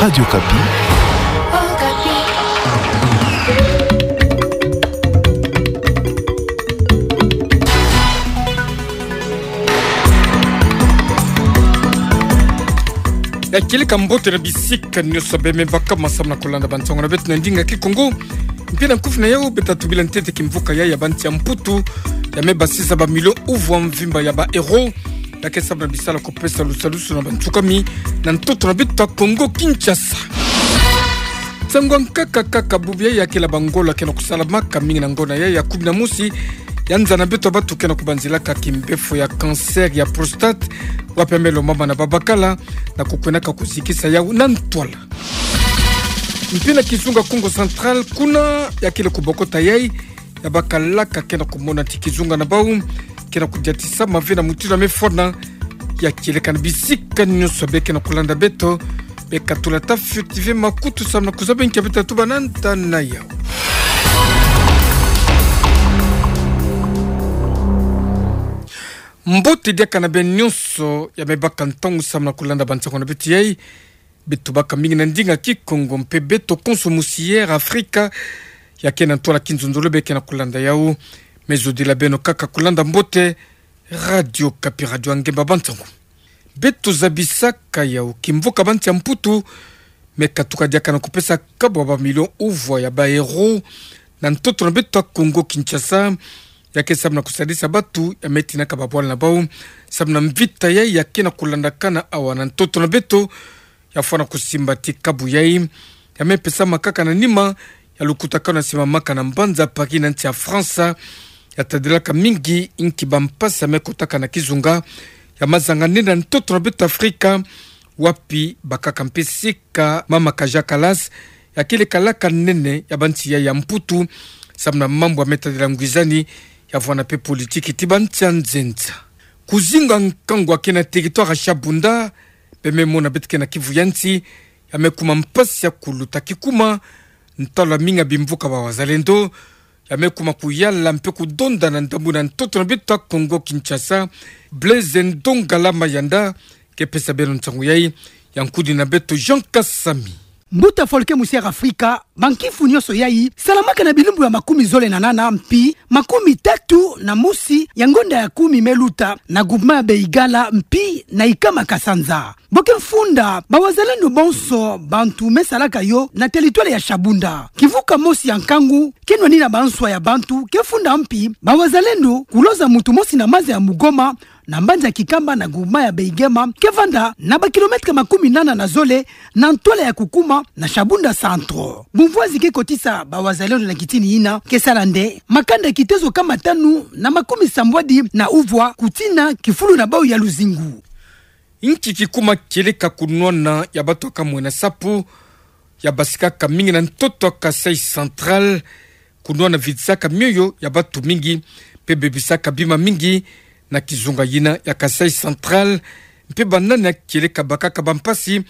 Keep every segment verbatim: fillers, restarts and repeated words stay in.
Radio Okapi. Ya kieleka mbote na bisika nyonso bembe baka masambu na kolanda bansango na beto na ndinga Kikongo. Mpe na nkufi na yau beta tubila ntete kimvuka ya, ya bansi ya Mputu ya me basisa ba millions uvwa mvimba ya ba euros, ya ke sabu na bisala kupesa lusalusu na bansukami na ntoto na beto ya Kongo Kinshasa. Nsangu ya nkaka kaka bubu ya, ya kela ba ngolo ke na kusalamaka mingi na ngonda ya, ya kumi na mosi, ya nza na beto ya batu ke na kubanzilaka kimbefo ya cancer ya prostate, wapi ya me lombama na babakala, na kukwendaka kuzikisa yau na ntwala. Mpe na kizunga Kongo Central, kuna ya kele kubokota yai, ya bakalaka ke na kumona ti kizunga na bau ke na kudiatisa mave na mutindu ya me fwana. Ya kieleka na bisika nyonso be ke na kulanda beto, be katula ta fioti ve makutu samu na kuzaba nki ya beta tubana nta na yau. Mbote diaka na beno nyonso ya me baka ntangu samu na kulanda bansango na beto yai. Beto baka mingi na ndinga Kikongo mpe beto konso mosi ya Afrika ya ke na ntwala kinzonzolo be ke na kulanda yau. Me zodila beno kaka kulanda mbote Radio Okapi, radio ya ngemba bansango. Beto zabisaka yau kimvuka bansi ya Mputu me katuka diaka na kupesa kabu ya ba millions uvwa ya ba euros na ntoto na beto ya Kongo Kinshasa, ya ke samu na kusadisa batu ya me tinaka babwala na bau samu na mvita yai ya ke na kulandakana awa na ntoto na beto. Ya fwana kusimba ti kabu yai ya me pesamaka kaka na nima ya lukutakanu ya simamaka na mbanza Paris na nsi ya France. Ya tadilaka mingi nki bampasi ya me kotaka na kizunga ya mazanga nene na ntoto na beto Afrika, wapi bakaka mpe sika mama Kaja Kallas, ya kele kalaka nene ya bansi yai ya Mputu samu na mambu ya me tadila ngwizani, ya vwanda mpe politiki ti bansi ya nzenza. Kuzinga nkangu ya ke na territoire ya Shabunda, be me mona beto ke na Kivu ya nsi, ya me kuma mpasi ya kuluta kikuma ntalu ya mingi ya bimvuka ba wazalendo ya me kuma kuyala mpe kudonda na ndambu na ntoto na beto ya Kongo Kinshasa. Blaise Ndongala Mayanda ke pesa beno nsangu yai, ya nkudi na beto Jean Kasami. Mbuta Folke, mosi ya Afrika, bankifu nyonso yai salamaka na bilumbu ya makumi zole na nana mpi makumi tatu na mosi ya ngonda ya kumi me luta na groupement ya Beigala mpi na Nkama Kasanza. Bo ke mfunda, ba wazalendo bonso bantu me salaka yo na territoire ya Shabunda. Kivuka mosi ya nkangu ke nwani na banswa ya bantu ke funda mpi ba wazalendo kuloza muntu mosi na maza ya Mugoma, na mbanza ya Kikamba na groupement ya Beigema, ke vanda na ba kilomètre makumi nana na zole na ntwala ya kukuma na Shabunda Centre. Bumvwazi ke kotisa ba wazalendo na kitini yina ke sala nde makanda ya kitezo kama tanu na makumi sambwadi na uvwa kutina kifulu na bau ya luzingu. Nki kikuma kieleka kunwana ya batu ya kamwena sapu ya basikaka mingi na ntoto ya Kasaï Central, kunwana vidisaka mioyo ya batu mingi, mpe bebisaka bima mingi na kizunga yina ya Kasaï Central, mpe banani ya kieleka bakaka bampasi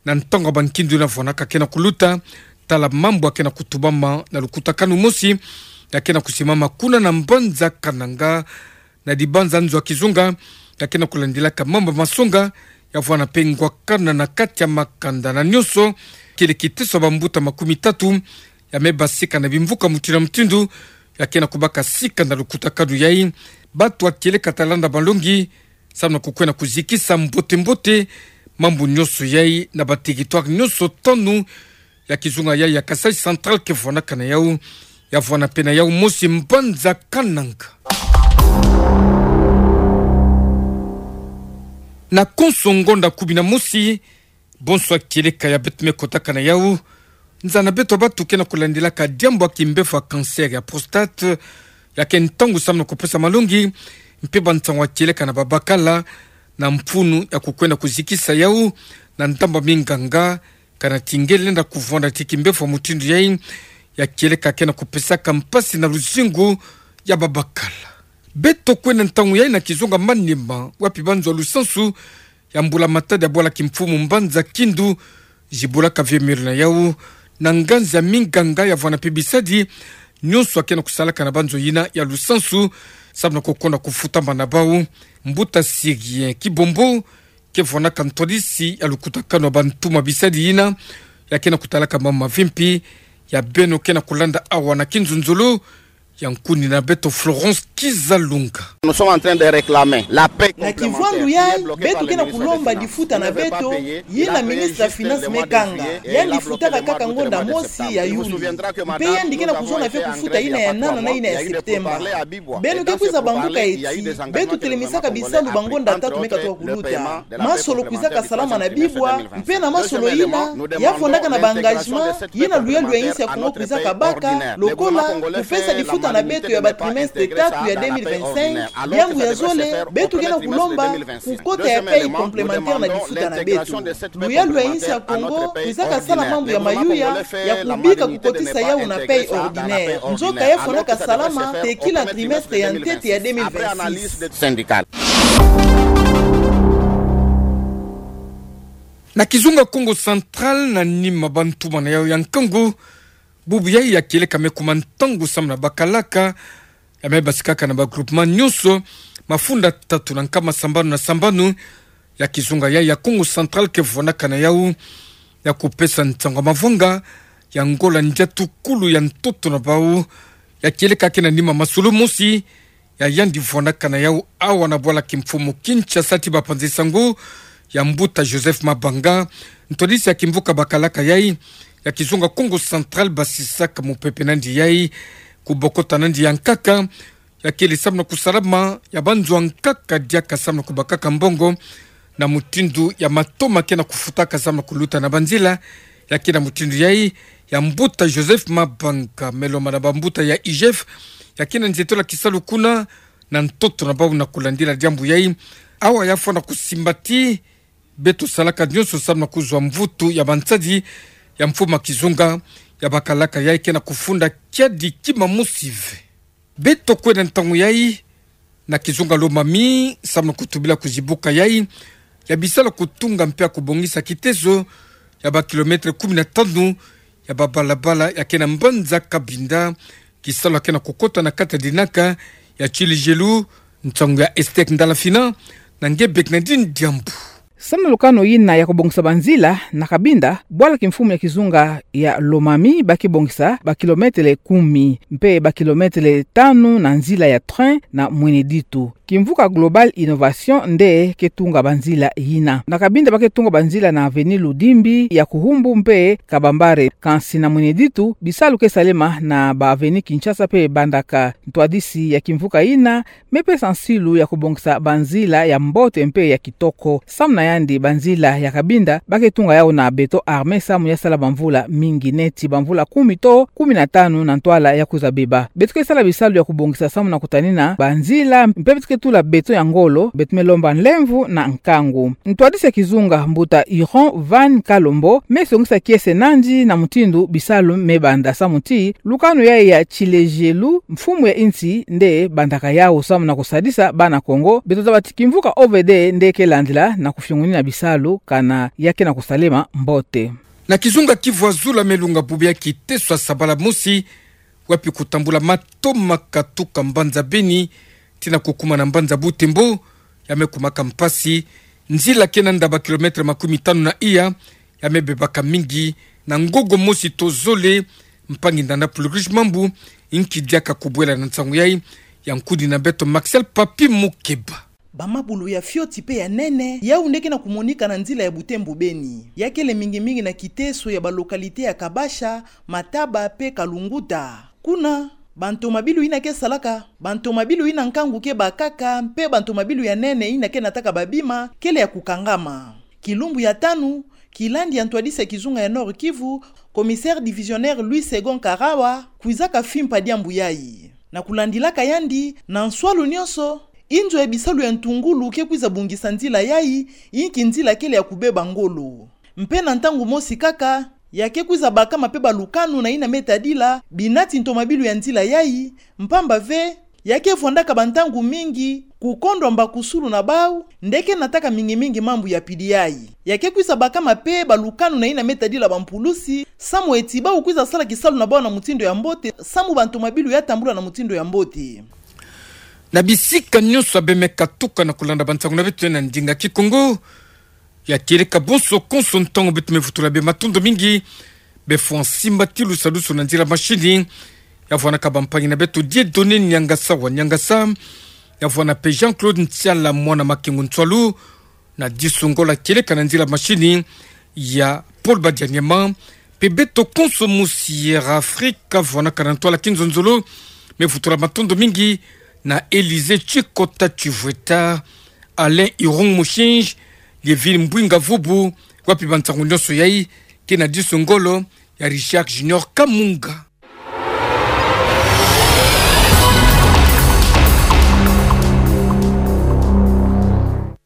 na ntangu ya bankindu yina vwanaka ke na kuluta, tala mambu ya ke na kutubama na lukutakanu mosi ya ke na kusimama kuna na mbanza Kananga, na dibanza nzo ya kizunga ya ke na kulandilaka mambu masonga, ya vwanda mpe ngwakana na kati ya makanda na nyonso. Kele kiteso ya bambuta makumi tatu ya me basika na bimvuka mutindu na mutindu ya ke na kubaka sika na lukutakanu yai. Batu ya kieleka ta landa malongi samu na kukwenda kuzikisa mbote-mbote mambu nyonso yai na ba territoire nyonso tanu ya kizunga yai ya Kasaï Central ke vwanaka na yau, ya vwanda mpe na yau mosi mbanza Kananga. Na konso ngonda kumi na mosi, bonso ya kieleka ya beto me kotaka na yau, nza na beto ya batu ke na kulandilaka diambu ya kimbevo ya cancer ya prostate, ya ke ntangu samu na kupesa malongi mpe bansangu ya kieleka na babakala, na mfunu ya kukwenda kuzikisa yau na ndambu ya minganga, kana ti nge lenda kuvwanda ti kimbevo mutindu yai, ya kieleka ke na kupesaka mpasi na luzingu ya babakala. Beto kwenda ntangu yai na kizunga Maniema, wapi banzo ya lusansu ya mbula matadi ya bwala kimfumu mbanza Kindu zibulaka vieux Milo na yau, na nganzi ya minganga, ya vwanda mpe bisadi nyonso ya ke na kusalaka na banzo yina ya lusansu, samu na kukonda kufutama na bau. Mbuta Sirien Kibombo ke vwanaka ntwadisi ya lukutakanu ya bantu ma bisadi yina, ya ke na kutalaka mama vimpi, ya beno ke na kulanda awa na kinzunzulu, ya nkuni na beto Florence Kizalunga. Nous sommes en train de réclamer la paix. Na kivwandu yayi, beto ke na kulomba difuta na beto, yina ministre ya finance me kanga. Yandi futaka kaka ngonda mosi ya Yuli. Mpe yandi ke na kuzona ve kufuta yina ya nana na yina ya Septemba. Beno ke kwiza bambuka eti, beto telemisaka bisalu ba ngonda tatu me katuka kuluta. Masolo kwizaka salama na bibwa, mpe na masolo yina, ya vwandaka na ba engagement, yina luyalu ya insi ya Kongo kwizaka baka, lokola, kupesa difuta na beto ya ba trimestre tatu ya deux mille vingt-cinq, diambu ya zole, beto ke na kulomba, kukota ya paye complémentaire na difuta na beto. Luyalu ya insi ya Kongo, kwizaka sala mambu ya mayuya, ya kubika kukotisa yawu na paye ordinaire. Nzoka ya vwandaka salama, tekila trimestre ya ntete ya deux mille vingt-six. Na kizunga Kongo Central, na nima bantu mana yawu ya nkangu, bubu yayi ya kieleka me kuma ntangu samu na bakalaka, ya me basikaka na ba groupement nyonso, mafunda tatu na nkama sambanu na sambanu, ya kizunga yayi ya Kongo Central ke vwanaka na yawu, ya kupesa nsangu ya mavwanga, ya ngola ndiatu kulu ya ntoto na bawu, ya kieleka ke na nima masolo mosi, ya yandi vwanaka na yawu awa na bwala kimfumu Kinshasa ti bapanzi nsangu, ya mbuta Joseph Mabanga, ntwadisi ya kimvuka bakalaka yayi, ya kizunga Kongo Central basisaka mupepe nandi yayi, kubokota nandi ya nkaka, ya kele samu na kusalama, ya banzwa nkaka diaka samu na kubakaka mbongo, na mutindu ya matoma ke na kufutaka samu na kuluta na banzila, ya ke na mutindu yayi, ya mbuta Joseph Mabanga, me lomba na bambuta ya I G F, ya ke na nzietolo ya kisalu kuna, na ntoto na bawu na kulandila diambu yayi, awa ya fwana kusimba ti, beto salaka nyonso samu na kuzwa mvutu ya bansadi, ya mfumu ya kizunga, ya bakalaka yayi ke na kufunda kiadi kima mosi ve. Beto kwenda ntangu yayi, na kizunga Lomami, samu na kutubila kuzibuka yayi, ya bisalu ya kutunga mpe ya kubongisa kiteso, ya ba kilomètre kumi na tanu, ya babalabala, ya ke na mbanza Cabinda, kisalu ya ke na kukota na kati ya dinaka, ya Tshilejelu, nsangu ya Estek Ndalafina, na nge bek na dini diambu. Samu na lukanu yina ya kubongisa banzila na Cabinda, bwala kimfumu ya kizunga ya Lomami, ba ke bongisa ba kilomètre kumi, mpe ba kilomètre tanu na nzila ya train na Mwene Ditu. Kimvuka Global Innovation nde ke tunga banzila yina. Na Cabinda ba ke tunga banzila na avenue Ludimbi, ya Kuhumbu mpe Kabambare, kansi na Mwene Ditu, bisalu ke salema na ba avenue Kinshasa mpe Bandaka. Ntwadisi ya kimvuka yina, me pesa nsilu ya kubongisa banzila ya mbote mpe ya kitoko. Samu na yandi banzila ya Cabinda, ba ke tunga yawu na béton armé samu ya sala bamvula mingi neti bamvula kumi to kumi na tanu na ntwala ya kwiza beba. Beto ke sala bisalu ya kubongisa samu na kutanina banzila, mpe beto ke tula béton ya ngolo, beto me lomba nlemvo na nkangu. Ntwadisi ya kizunga mbuta Iron Van Kalombo, me songisa kiese nandi na mutindu bisalu me banda samu ti, lukanu yayi ya Tshilejelu, mfumu ya insi nde bandaka yawu samu na kusadisa bana Kongo, beto zaba ti kimvuka O V D nde ke landila na kufiongonina bisalu kana ya ke na kusalema mbote. Na kizunga Kivu ya Zulu me lunga bubu ya kiteso ya sabala mosi, wapi kutambula mato ma katuka mbanza Beni, tii na kukuma na mbanza Butembo, ya me kumaka mpasi, nzila ke nanda ba kilomètre makumi tanu na iya, ya me bebaka mingi, na ngogo mosi to zole, mpangi ndanda Plurish Mambu, inki diaka kubwela na nsangu yayi, ya nkudi na beto Maxel Papi Mukeba. Bamabulu ya fioti mpe ya nene, yawu nde ke na kumonika na nzila ya Butembo Beni. Ya kele mingi mingi na kiteso ya ba localité ya Kabasha, Mataba mpe Kalunguta. Kuna, bantomabilu yina ke salaka, bantomabilu yina nkangu ke bakaka, mpe bantomabilu ya nene yina ke nataka babima, kele ya kukangama. Kilumbu ya tanu, kilandi ya ntwadisi ya kizunga ya Nord-Kivu, commissaire divisionnaire Louis Segond Karawa, kwizaka fimpa diambu yayi. Na kulandilaka yandi, na nswalu nyonso, inzo ya bisalu ya ntungulu ke kwiza bungisa nzila yayi, inki nzila kele ya kubeba ngolo. Mpe na ntangu mosi kaka, ya ke kwiza bakama mpe balukanu na yina me tadila binati ntomabilu ya nzila yayi, mpamba ve, ya ke vwandaka bantangu mingi kukondwa mbakusulu na bawu, nde ke nataka mingi mingi mambu ya pidi yayi. Ya ke kwiza bakama mpe balukanu na yina me tadila bampulusi, samu eti bawu kwiza sala kisalu na bawu na mutindu ya mbote, samu bantomabilu ya tambula na mutindu ya mbote. Na bisika nyonso ya bemeka tuka na kulanda bansangu na beto na ndinga Kikongo, Ya tieleka bonso konso ntangu beto mevutula bie matondo mingi. Befo ansimba ti lusalusu na nzila mashini. Ya vwanaka bampangi na beto Dieudonné Niangasa wa Niangasa. Ya vwana pe Jean-Claude Ntiala mwana Makengo Ntswalu. Na diso ngolo tieleka na nzila mashini. Ya Paul Badianyema. Pe beto konso mu Sierra Africa vwanaka na ntwala kinzonzolo. Mevutula matondo mingi na Élysée Tchikota Tchivweta. Alain Irung Moshinji, Liéville Mbouinga Vubu, wapi bansangu nyonso yayi, ke na diso ngolo, ya Richard Junior Kamunga.